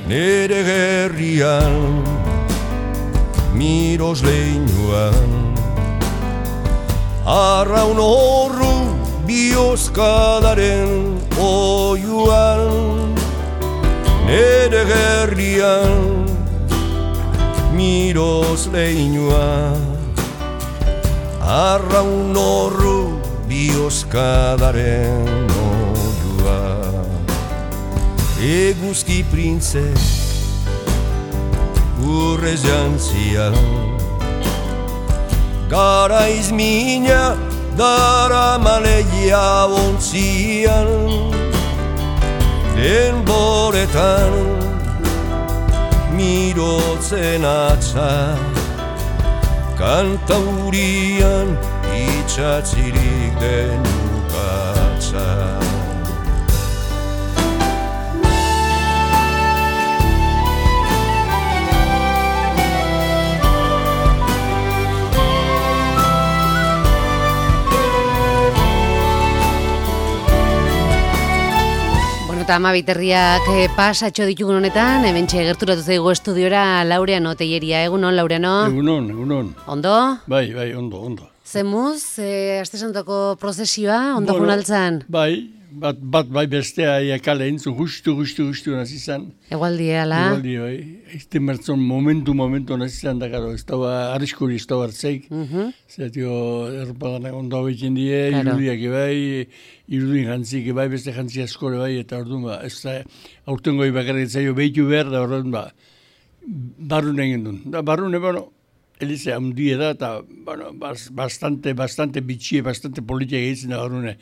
nere gerrian, miros leinuan, arraun horru bihozkadaren oiuan, nere gerrian, miros leinuan, arraun horru bihozkadaren oiuan. Eguzki printze urrez jantzian, garaiz mina dara maleia ontzian, denboretan mirotzen atza, kantaurian itxatzirik den ukatza. Eta amabiterriak pasatxo ditugun honetan, hementxe gerturatu zaigu estudiora Laureano Telleria. Egunon, Laureano? Egunon. Ondo? Bai, ondo. Zemuz, aste santoko prozesioa, ondo gunaltzan? Bai, bat bai bestea kale entzun, justu nazizan. Egualdi, ala? Egualdi, bai. Este mertzon momentu nazizan, da, karo, ez da arriskuri, ez da hartzeik. Zertio, errupadanak ondo hau egin die, irudiak bai, irudin jantzik bai, beste jantzi askore bai, eta orduan ez da, aurten goi bakarrik zaio behitu behar, da orduan barrun egin duen. Da, barrun, Elize handie da, eta bastante bitxie, bastante politia egitzen da barrune.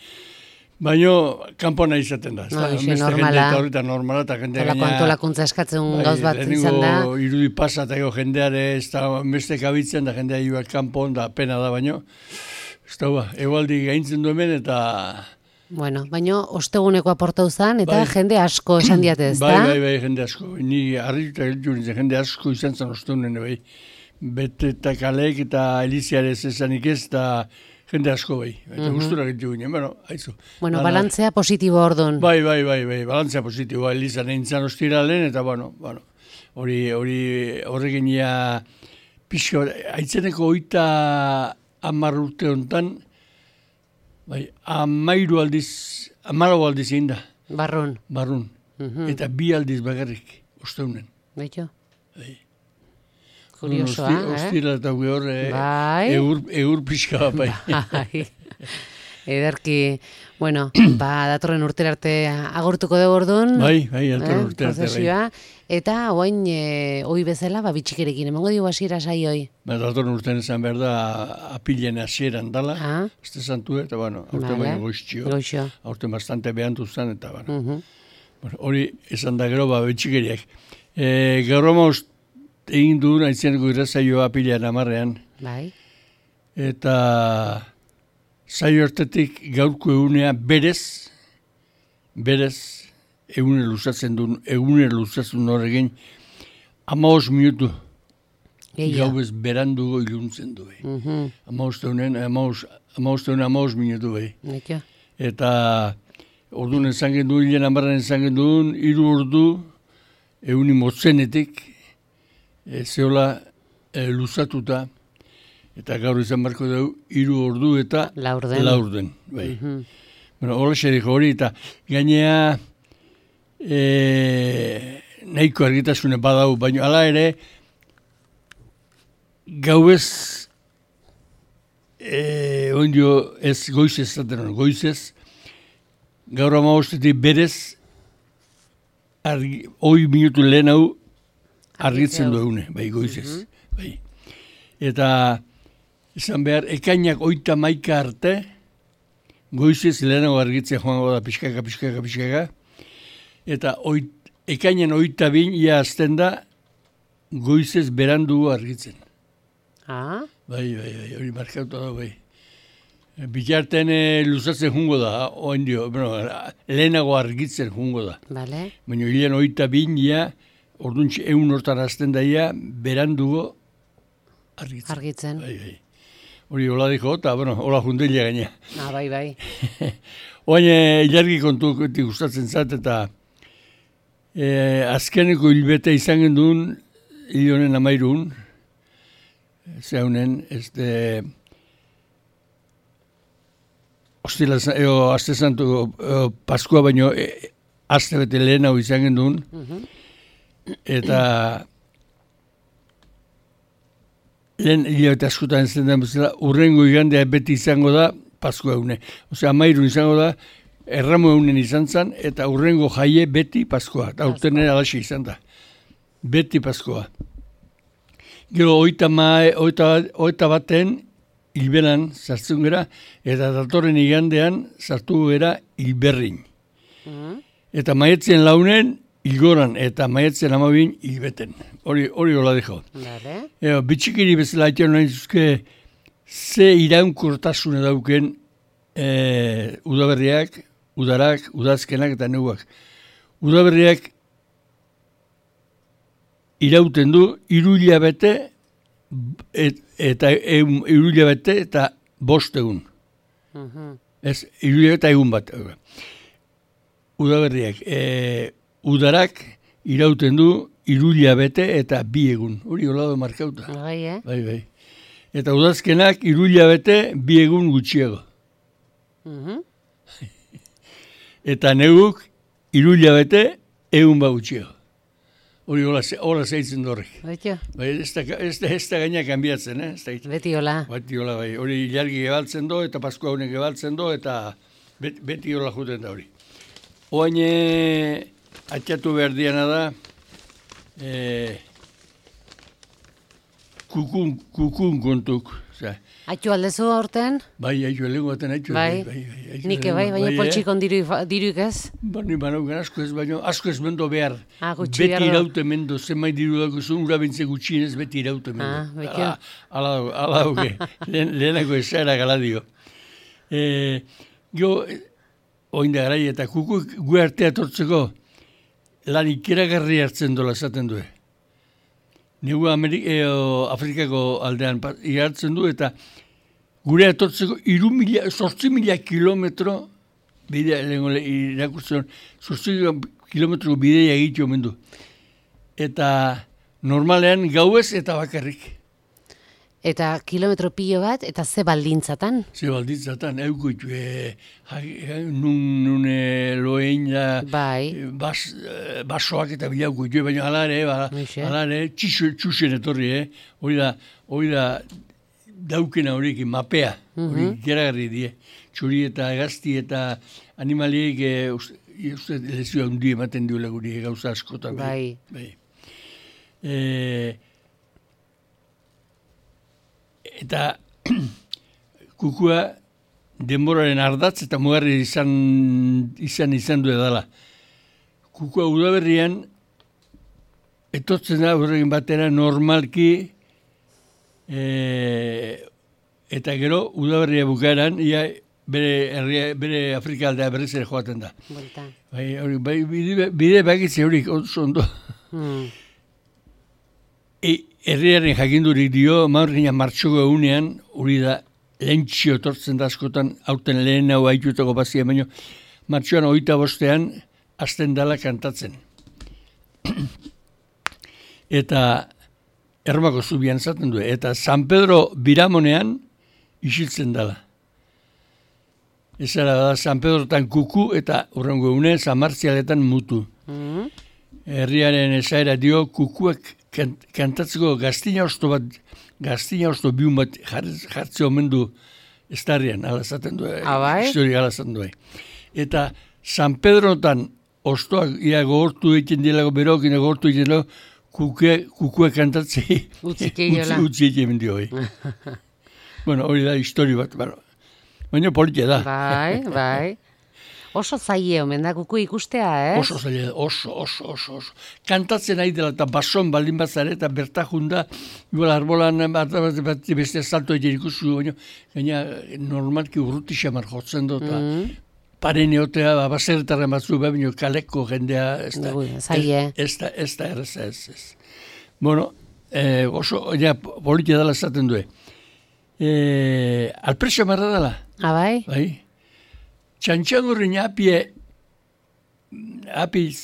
Baina, kanpona izaten da. Normala. Eta normala, eta jendea gaina... Antolakuntza eskatzen gauz bat izan da. Irudi pasa, eta jendeare, ez da beste kabitzen, da jendea joak kanpon, da pena da, baina... Ez da, egualdi gaintzen duen, eta... Bueno, baina osteguneko aportau zan, eta jende asko esan diatez, da? Bai, jende asko. Ni harrituta gelditu jende asko izan zen ostegunen, bai. Bete eta kalek eta Eliziarez esanik ez, eta jende asko bai. Eta gustura gelditu ginen, haizu. Bueno, balantzea positibo orduan. Bai, balantzea positiboa. Elizan eintzan ostiralen, eta horrekin pixka, aitzeneko 30 urte honetan, bai, 14 aldiz egin da. Barrun. Eta 2 aldiz bakarrik, osteunen. Baitu? Bai. Kuriosoa, Ostira eta egur pixka bai. Ederki, bueno, datorren urtera arte agortuko dugu orduan. Bai, datorren urtera arte. Eta oain, oi bezala, bitxikerekin, emango dugu hasiera saioi. Datorren urtean esan behar da, apilen hasieran dala, este santu, eta aurten baina goiztio. Aurten bastante behantu zen, eta hori esan da gero, bitxikeriak. Gero egin duen, aitzeneko irrazaioa apilean 10. Bai. Eta zaio hartetik gaurko egunea berez, egune luzatzen horrekin, 15 minutu. Gau ez berandugo iluntzen du. 15 minutu bai. Eta orduan esan genduen, hilen 10 esan genduen, 3 ordu eguni motzenetik, zehola luzatuta, eta gaur izan barko dugu, 3 ordu eta laurden. Bai. Hola xerik hori, eta gainea nahiko argitasune badau, baina ala ere, gauez, ez goizez, goizez, gaur 15 berez, 8 minutu lehen hau, argitzen du egune, bai, goizez. Bai. Eta, esan behar, ekainak 31 arte, goizez lehenago argitzen joango da pixkaka. Eta ekainan 22 ia azten da, goizez berandugu argitzen. Bai, hori markauta da, bai. Bitartean luzatzen jungo da, lehenago argitzen jungo da. Baina hilean 22 ia, orduntxe 1 hortan azten daia, berandugo argitzen. Bai. Hori hola diko, eta hola jundelia gaina. Bai. Oain, ilargi kontu gustatzen zat, eta azkeneko hilbete izan genduen, hil honen 13, zeunen, aste santu Paskua baino, aste bete lehen hau izan genduen, eta lehen hilabete askotan zen den bezala, urrengo igandea beti izango da Paskua egune. Osea, 13 izango da, erramo egunen izan zen, eta urrengo jaie beti Paskua. Eta urten ere alaxe izan da. Beti Paskua. Gero, oita baten hilbelan sartzen gara, eta datorren igandean sartu gara hilberrin. Eta maietzen launen hilgoran, eta maietzen 12 hilbeten. Hori hola dejo. Bitxikiri bezala aitan nahi zuzke, ze iraunkortasune dauken udaberriak, udarak, udazkenak eta neguak. Udaberriak irauten du 3 hilabete eta 3 hilabete eta 5 egun. Ez, 3 hilabete egun bat. Udaberriak, udarak irauten du 3 hilabete eta 2 egun. Hori hola da markauta. Bai. Eta udazkenak 3 hilabete 2 egun gutxiago. Eta neguk 3 hilabete egun bat gutxiago. Hori hola zeitzen dorrek. Bai, ez da gaina kanbiatzen, Beti hola. Beti hola, bai. Hori ilargi gebaltzen do, eta Paskua honek gebaltzen do, eta beti hola juten da hori. Oain atxatu behar diana da, kukun kontuk. Aitu aldezu aurten? Bai, aitu aldengo baten aitu. Bai, nike bai, baina poltsikon diruik ez? Bani banauken asko ez, baina asko ez mendo behar. Gutxi behar. Beti iraute mendo, zenbait diru dago zuen, ura bintze gutxinez beti iraute mendo. Ala dauke, lehenako esaera galadio. Gio, oinda garai eta kukuk gu artea tortzeko lan ikeragarri hartzen dola esaten du. Negu Afrikako aldean igartzen du eta gure etortzeko 8.000 kilometro bidea, irakurtzen, 8.000 kilometro bidea egitu omen du. Eta normalean gauez eta bakarrik. Eta kilometro pilo bat, eta ze baldintzatan? Ze baldintzatan, eukuitu, nun loein da, basoak eta bilaukuitu, baina alare, txusen etorri, hori da daukena horiekin, mapea, hori geragarri die, txuri eta gazti eta animaliek, uste lezioa hundi ematen duela guri gauza askotan. Bai. Eta kukua denboraren ardatz eta mugarri izan du edala. Kukua udaberrian etortzen da horregin batera normalki eta gero udaberria bukaeran bere Afrika aldea berriz ere joaten da. Bai, bide bakitze horik oso ondo. Herriaren jakindurik dio, maurgina martxoko egunean, hori da lehentxio etortzen da askotan, hauten lehen hau haitutako bazia, baina martxoan 25ean hasten dala kantatzen. Eta Ermako zubian zaten du, eta San Pedro Biramonean isiltzen dala. Ezara da San Pedrotan kuku eta urrengo egune San Martzialetan mutu. Herriaren esaera dio kukuak kantatzeko gaztina osto biun bat jartze omen du estarrian, alazaten du, historia alazaten du. Eta San Pedrotan ostoak gogortu egiten dielago, berokin gogortu egiten dielago, kukua kantatzei utzi egiten dio. Bueno, hori da histori bat, baina politia da. Bai. Oso zaie omen da kuku ikustea, ez? Oso zaie, oso. Kantatzen ari dela eta bason baldin bat zare eta bertajunda, igual arbolan beste salto egin ikustu, baina normalki urruti xamar jotzen dut, paren eotea, baserretaren batzu, baina kaleko jendea, ez da erreza, ez. Bueno, oso, politia dela esaten du. Alpresio marra dela. Bai? Txantxangurrin apiz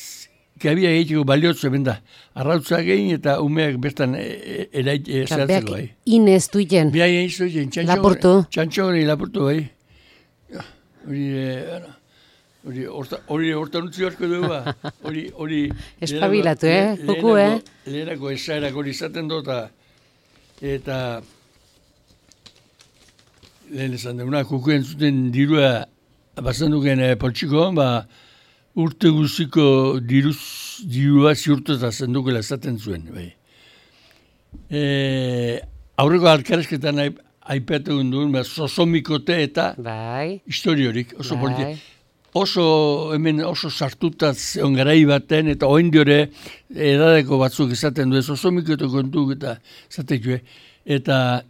kabia egiteko baliotzu hemen da. Arrautza egin eta umeak bertan zertzeko bai. Inez duiten. Bia egin zuiten, txantxo hori lapurtu bai. Hori hortan utzi horko dugu ba. Hori espabilatu, Kuku, lehenako esaerak hori izaten dut eta lehen esan duguna, Kuku entzuten dirua bazan duken poltsikoan, urte guziko dirua ziurteta zendukela esaten zuen. Bai. Aurreko alkarezketan aipatu duen, sosomikote eta historiorik, oso politia. Oso sartutaz ongarai baten, eta oindiore edadeko batzuk esaten du, sosomikote kontuk eta esatek eta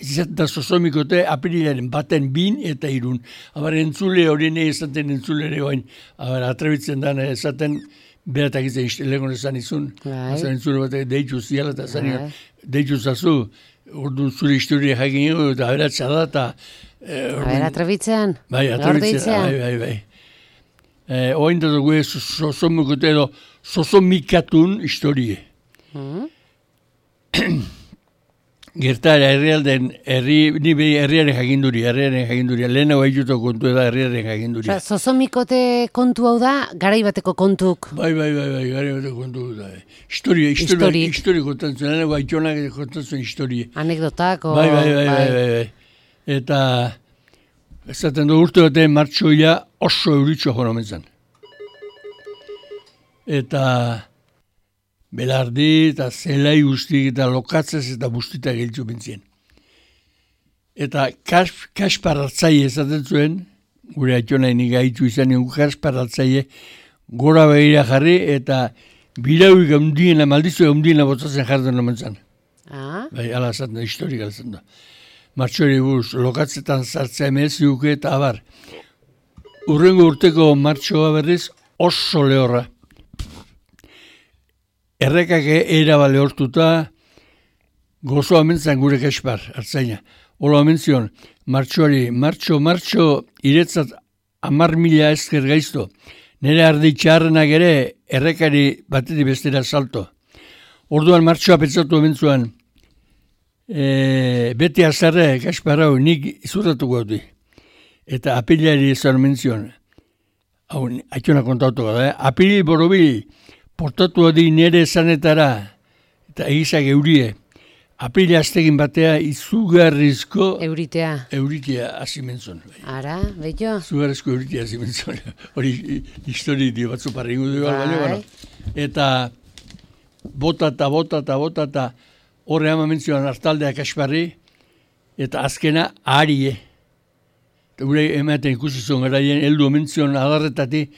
izaten da sosomikote apirilaren baten 2 eta 3. Abar entzule horien esaten entzule ere oain, atrebitzen da esaten beratak izan legon esan izun, entzule batek deitzu ziala eta zan deitzu zazu, orduan zure historia jakin ego eta aberatza da eta atrebitzean? Bai, atrebitzean, bai. Oain da dugu sosomikote edo sosomikatun historie. Gertara herrialden, ni behi herriaren jakinduria, lehenago haituto kontu da herriaren jakinduria. Sosomikote kontu hau da, garaibateko kontuk? Bai, garaibateko kontu da. Histori kontatzen, lehenago haitxonak kontatzen historie. Anekdotak? Bai. Eta, ezaten du urte batean martxoia oso euritxo joan omentzen. Eta belardi eta zelai guztik eta lokatzez eta bustita giltzu bintzien. Eta Kaspar hartzaile esaten zuen, gure atxonaini gaitu izan nion Kaspar hartzaile gora behira jarri eta birauik ondiena, maldizu ondiena botzatzen jarden omentzen. Bai, ala esaten da, historika esaten da. Martxori buruz, lokatzetan zartzea emeziuke eta abar. Urrengo urteko martxoa berriz oso lehorra. Errekak eraba lehortuta gozo amentzan gure Kaspar, hartzaina. Olo amentzion, martxo, iretzat 10.000 esker gaizto. Nere ardi txarrenak ere errekari batetik bestera salto. Orduan martxoa pentsatu amentzuan, beti azarre, Kaspar hau, nik izurratuko hau. Eta apilari ezan mentzion, hau, aitzona kontautuko da, apili borobil, portatu adi nere esanetara, eta egizak eurie, apila aztegin batea izugarrizko euritea hasi mentzon. Ara, beto? Izugarrizko euritea hasi mentzon. Hori histori dio batzu parringu dugu baina. Eta bota, horre ama mentzioan hartaldea Kasparri, eta azkena aharie. Gure ematen ikusi zuen garaien, heldu mentzion adarretati,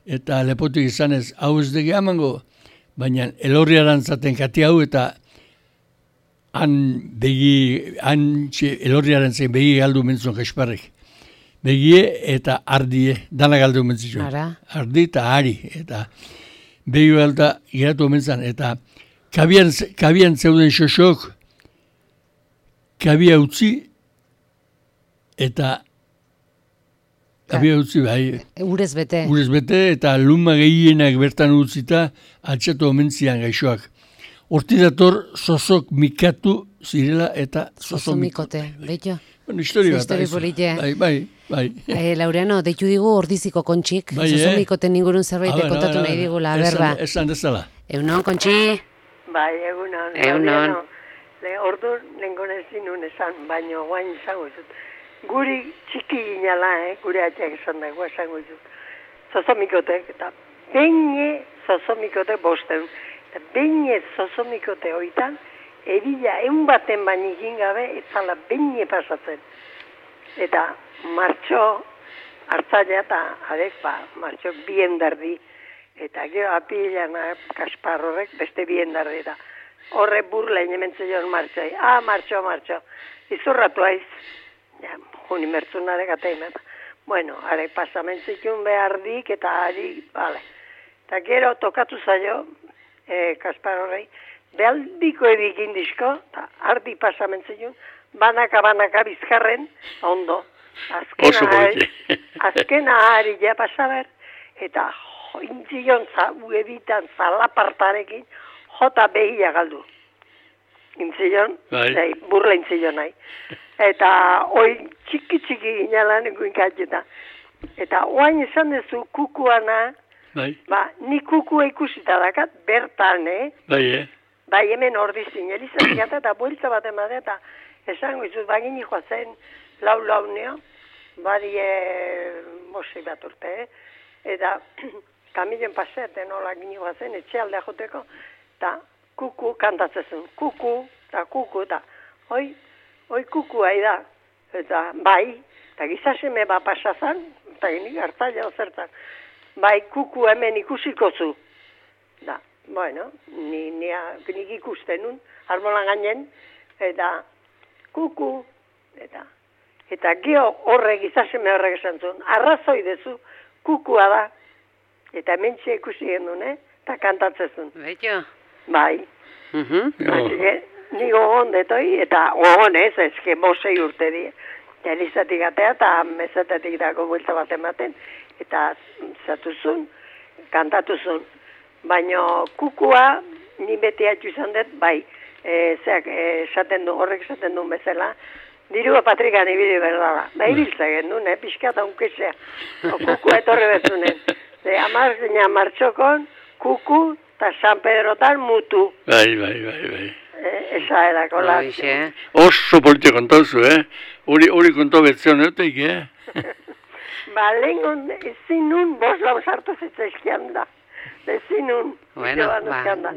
eta lepotik izanez, hau ez degi amango, baina elorriaran zaten kati hau, eta elorriaren zen begi galdu mentzon Kasparrik. Begie eta ardie, dana galdu mentzon. Ardi eta ari, eta begi galda geratu mentzan, eta kabian zeuden xosok, kabia utzi, eta kabia utzi, bai. Urez bete, eta luma gehienak bertan utzita, altxatu omentzian gaixoak. Horti dator sosok mikatu zirela eta sosomikote. Beto? Bueno, histori bat. Bai. Laureano, deitu digu Ordiziko Kontxik. Sosomikoten ingurun zerbait kontatu nahi digula, berba. Esan dezala. Eunon, Kontxi? Bai, egunon. Ordu nengon ez dinun esan, baino guain izango izut. Guri txiki ginala, gure atxak esan dago esango izut. Sosomikotek, eta beine sosomikote bosten. Eta beine sosomikote hoitan, erila baten baino egin gabe, etzala beine pasatzen. Eta martxo hartzailea eta martxo biendardi. Eta gero apilan Kaspar horrek beste biendardi da. Horre burla inementzen joan martxoi. Martxo. Izurratu aiz. Ja, juni mertzunarek ateimen. Bueno, are pasamentzikun behardik eta ari, bale. Eta gero tokatu zaio, Kaspar horrei, behaldiko edikin dizko, eta ardi pasamentzikun, banaka bizkarren, ondo. Azkena ari ja pasaber, eta intzion ebitan zalapartarekin, jota behia galdu. Intzion, burla intzion nahi. Eta hoi txiki ginelan guinkatxeta. Eta oain esan dezu kukuana, ni kukua ikusita dakat, bertan, Bai, hemen ordizin, elizatik eta buelta bat emate, eta esango izuz, bagin joa zen, lau neo, badie bosei bat urte, eta kamilen pasete nola gini joa zen, etxealdea joteko, eta kuku kantatzezun, kuku, eta hoi kukua da, eta bai, eta gizaseme bat pasazan, eta gini hartzaila ozertan, bai, kuku hemen ikusiko zu, da. Bueno, nik ikusten nun, arbolan gainen, eta kuku, eta geho horrek, izaseme horrek esan zuen, arrazoi dezu, kukua da, eta hementxe ikusi gendun, eta kantatzezun. Betxo? Bai. Ni gogon detoi, eta gogon ezke bosei urte die. Eta elizatik atea, eta mezatetik dago buelta bat ematen, eta zatuzun, kantatuzun. Baina kukua, ni beti atxu izan dut, bai, horrek esaten du bezala, dirua patrikan ibili berdala. Bai, biltza gendun, pixka eta unkesea. Kukua etorre bezunen. Martxokon, kuku, eta San Pedrotan mutu. Bai. Esa edako la. Oso politxe kontauzu, Hori konto betzion euteik, Ba, lehengon, ezin nun, bos lau sartu zitzaizkian da. Ezinun. Bueno,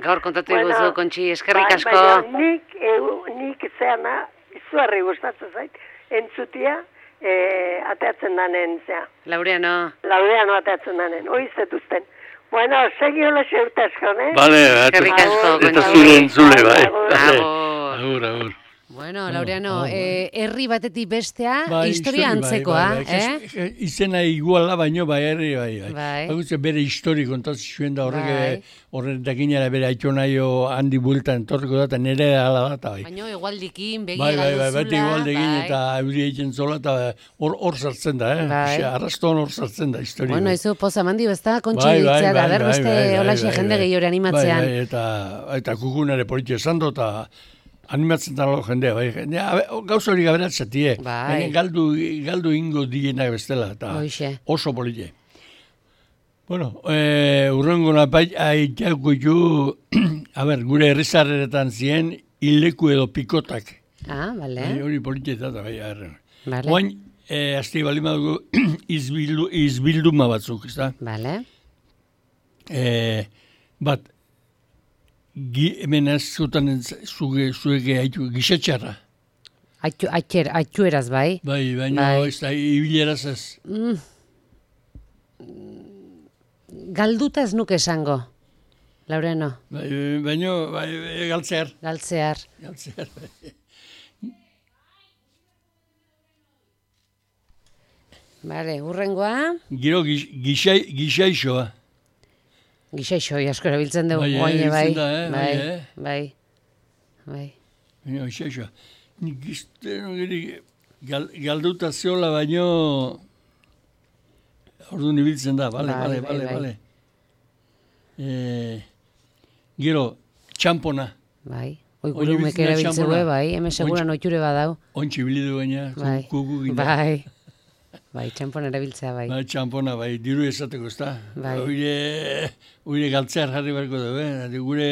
gaur kontatu iguzu, Kontxi, eskerrik asko. Baina nik zeana, izuarri gustatzen zait, entzutia, ateatzen danen, zea. Laureano ateatzen danen, hoi zetuzten. Bueno, segi hola xeurte asko, Vale, eskerrik asko, Kontxi. Eta zure entzule, bai. Agur. Bueno, Laureano, herri batetik bestea, historia antzekoa, Izena iguala baino, herri, bai. Bere histori kontatzen zuen da horrek dakinara bere aitonaio handi bultan entorriko da, eta nire ala da, bai. Baina egualdikin, begi Bai, galduzula, egualdikin, eta euri egiten zola, eta hor sartzen da, Arrastoan hor sartzen da historia. Bueno, izu pozamandi bezta, Kontxi ditzea, da berbeste holaxe jende gehiore animatzean. Bai, eta kukunare politxe esan do, eta animatzen da jendea, bai. Gauza hori gaberatzatie. Bai. Galdu ingo dienak bestela, eta oso politxe. Bueno, urrengo napai, aitako ju, gure herrizarreretan zien, hileku edo pikotak. Bale. Hori politxe eta, bai, Bale. Oain, azti bali madugu, izbilduma batzuk, ez da? Bale. Bat, hemen ez zutan zuege haitu gixetxarra. Aitu eraz, bai? Bai, baina ez da, ibileraz ez. Galduta ez nuke esango, Laureano. Baina, galtzear. Galtzear. Bale, urrengoa. Gero gixaixoa. Gixaixoi asko erabiltzen dugu, oaine, bai. Baina, gixaixoa. Nik galduta zeola baino orduan ibiltzen da, bale. Gero, txampona. Bai, gure umek erabiltzen dugu, bai, hemen seguran oiture badau. Ontsi bilidu baina, kuku gina. Bai, txampona erabiltzea, bai. Bai, txampona, bai, diru esateko, ez da. Bai. Oire galtzear jarri barko dugu, gure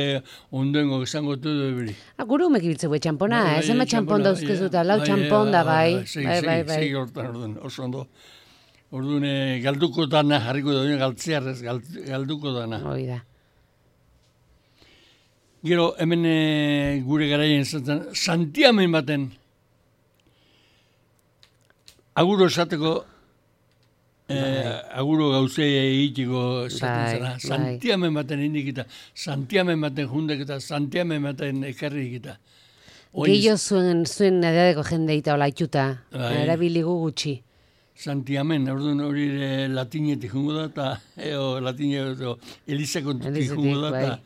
ondoengo esango du dugu. Gure umek ibiltzeu, txampona, ez ema txampon dauzkezuta, lau txampon da, bai. Segi hortan, orduan, oso ondo. Orduan, galduko dana jarriko dugu, galtzear ez, galduko dana. Hoi da. Gero, hemen gure garaien zaten, santiamen baten, aguro esateko, aguro gauzei egitiko esaten zara. Santiamen baten indikita, santiamen baten jundek eta santiamen baten ekarri egita. Gehio zuen edadeko jendeita hola itxuta, erabiligu gutxi. Santiamen, orduan hori latinetik jungo da, eta latinetik elizakontik jungo da, eta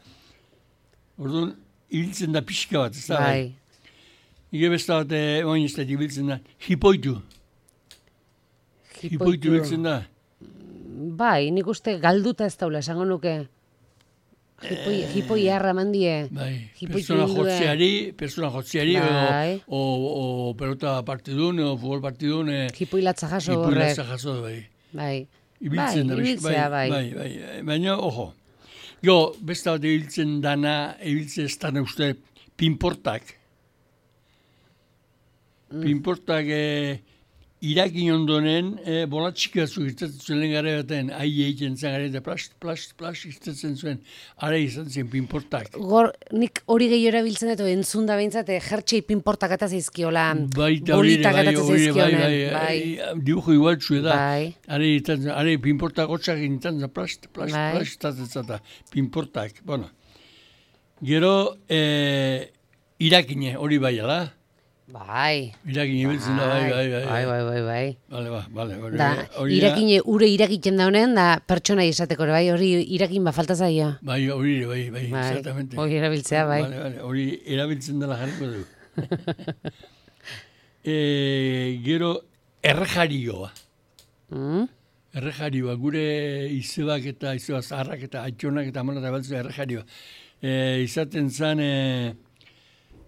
orduan ibiltzen da pixka bat, ez da? Bai. Ige besta bat, oin ez da ibiltzen da, hipoitu. Hipoitu biltzen da? Bai, nik uste galduta ez daula, esango nuke. Hipoi harra mandie. Bai, persona jotziari, o pelota partidun, o futbol partidun. Hipoi latza jaso horrek. Hipoi latza jaso, bai. Bai, Ibiltzea, bai. Baina, ojo, beste bat ibiltzen ez dana uste pinportak. Pinportak irakin ondonen, bolatxika zugitzatzen zuen gara baten, ahi egiten zen gara, eta plast iztetzen zuen, ara izan zen pinportak. Nik hori gehiora biltzen dut, entzun da behintzat, jertxei pinportak eta zeizkiola, bolitak eta zeizkionen. Bai, dibujo igualtzu da. Are pinportak hotxak egiten zen, plast iztetzen pinportak. Bueno, gero, irakine hori bai, ala? Bai. Irakine biltzen da, bai. Bale. Irakine ure irakiten da honen, da pertsona izateko, bai, hori irakin falta zaio. Bai, hori, exactamente. Hori erabiltzea, bai. Hori erabiltzen dela jarriko du. Gero, errejarioa. Errejarioa, gure izebak eta izeba zaharrak eta atxonak eta amonak eta baltzea errejarioa. Izaten zen...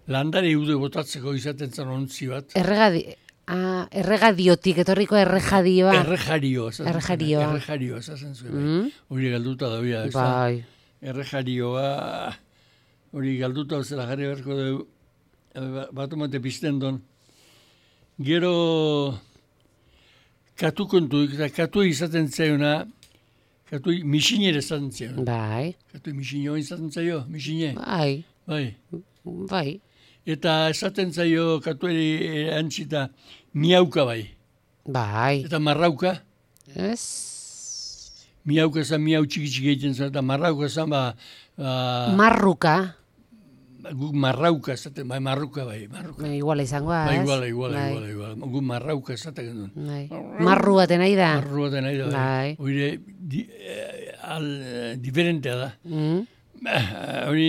landare iude botatzeko izaten zen ontzi bat. Erregadiotik, etorriko errejadioa. Errejarioa, esazen zuen. Hori galduta da bia. Bai. Errejarioa, hori galduta zela jarri beharko dugu, bat omate pizten don. Gero, katu kontu, katu izaten zaiona, katu misinere izaten zaiona. Bai. Katu misinio izaten zaio, misine. Bai. Eta esaten zaio katueri antzita miauka bai. Bai. Eta marrauka. Ez. Miauka zan miau txiki egiten zen, eta marrauka zan Marruka. Guk marrauka esaten, marruka bai. Iguala izangoa, ez? Iguala. Guk marrauka esaten genuen. Marru baten nahi da. Bai. Oire, diferentea da. Hori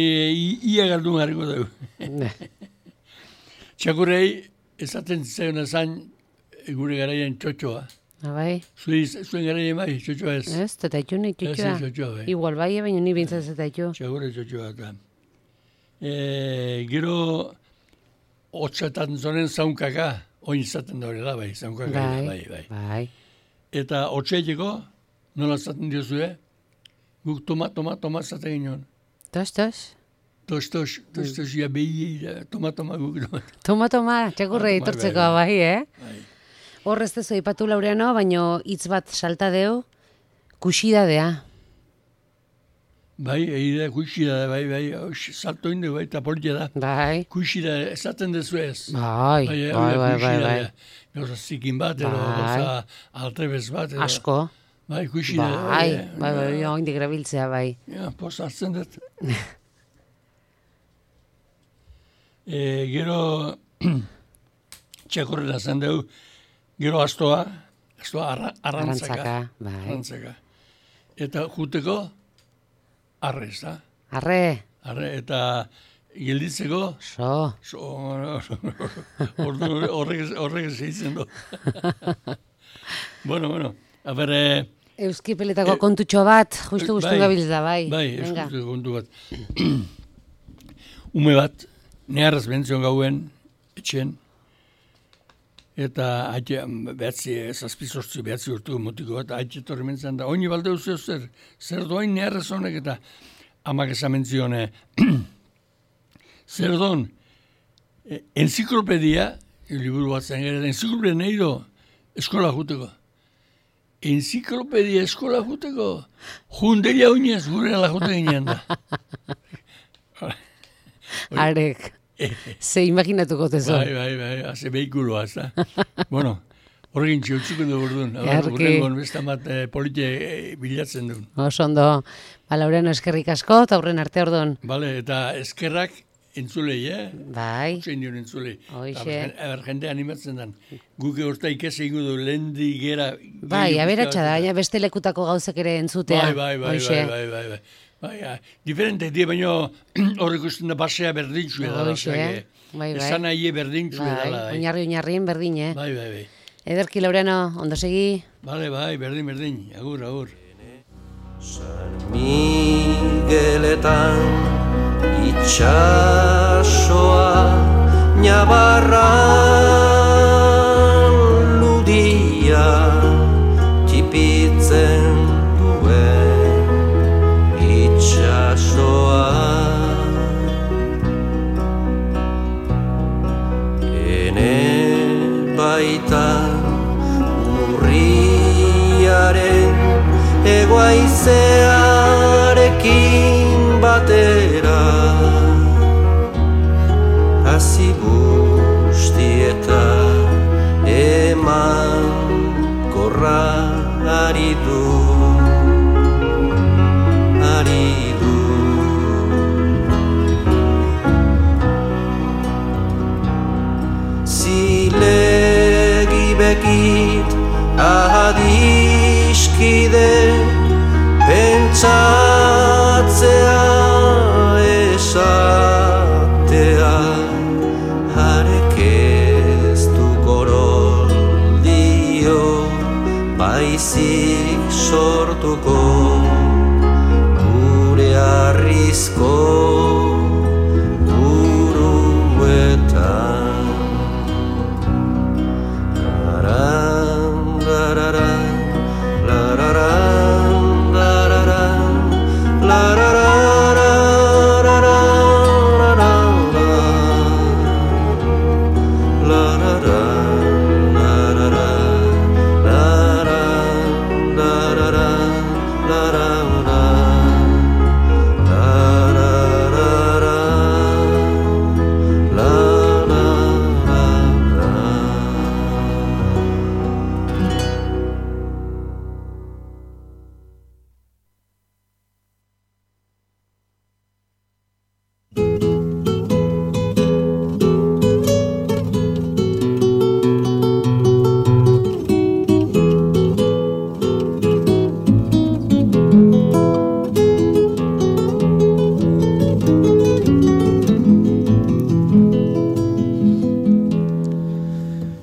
ia galdun harriko dugu. Txakurrei, esaten zaiona zain gure garaien txotxoa. Bai. Zuen garaien bai, txotxoa ez. Ez, tetaitu nahi txotxoa. Ez, txotxoa bai. Igual bai, baina ni bintzat tetaitu. Txakurre txotxoa eta. Gero, hotxatan zonen zaunkaka, oin izaten da horrela bai, zaunkaka bai. Eta hotxeiteko, nola zaten diozue, guk toma zaten ginen. Tos, ja behi, toma guk. Toma, txakurre itortzeko bai, Hor ez dezu ipatu Laureano, baino hitz bat salta deu, kuxidadea. Bai, egidea kuxidadea, bai, salto indu, bai, eta politia da. Bai. Kuxidadea, esaten dezu ez. Bai. Gauza zikin bat, edo gauza altrebez bat. Asko. Bai, kuxidadea. Bai, oindik erabiltzea, bai. Ja, post hartzen dut. Gero, txakurrela zen dugu, gero astoa arrantzaka. Eta juteko, arre, ez da? Arre, eta gelditzeko, horrek zeitzen du. Bueno, a ber... Euskipeletako kontutxo bat, justu gabiltz da, bai. Bai, euskipeleko kontu bat. Ume bat, neharraz bentzion gauen, etxen, eta zazpizortzi behatzi urtuko motiko bat, haitxe torri mentzen da, oini balde uzeo zer doain neharraz honek, eta amak esamentzion, zer doan, enziklopedia, liburu bat zen gara, enziklopedia nahi do, eskola juteko. Enziklopedia eskola juteko, junderia oinez gure ala jute ginean da. Arek, ze imaginatuko tezo. Bai, haze behikuloa, ez da. Bueno, horregin txiltzuko dugu orduan. Gurrengon bestamat politia bilatzen duen. Osondo, Laureano eskerrik asko, eta aurren arte orduan. Bale, eta eskerrak entzulei, Bai. Otzein dion entzulei. Hoxe. Aber jende animatzen den. Guke horta ikese ingo du, lehendi gera... Bai, aberatxa da, beste lekutako gauzek ere entzutea. Bai, diferente, baina horrek usten da basea berdintxue da. Bai. Esan nahi berdintxue dela. Oinarrien berdin, Bai. Ederki Laureano, ondo segi? Bale, bai, berdin, agur. San Migueletan itxasoa Nabarran ludia tipitzen duen itxasoa Ene baitan urriaren Egoaizearekin batera Hasi bustieta eman korra ari du Zilegi bekit adiskide Pentsatzea esatea Harek ez du goroldio Baizik sortuko Gure arrizko